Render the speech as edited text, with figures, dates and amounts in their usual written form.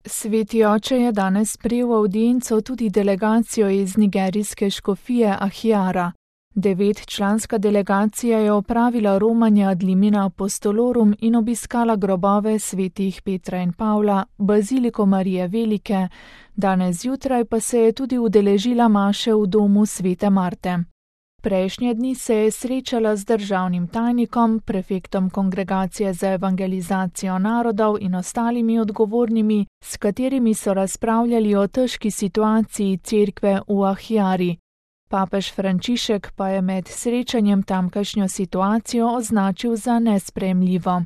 Sveti oče je danes sprejel v avdienco tudi delegacijo iz nigerijske škofije Ahjara. 9-članska delegacija je opravila romanje ad limina apostolorum in obiskala grobove svetih Petra in Pavla, baziliko Marije Velike, danes zjutraj pa se je tudi udeležila maše v domu svete Marte. Prejšnje dni se je srečala z državnim tajnikom, prefektom Kongregacije za evangelizacijo narodov in ostalimi odgovornimi, s katerimi so razpravljali o težki situaciji cerkve v Ahjari. Papež Frančišek pa je med srečanjem tamkajšnjo situacijo označil za nesprejemljivo.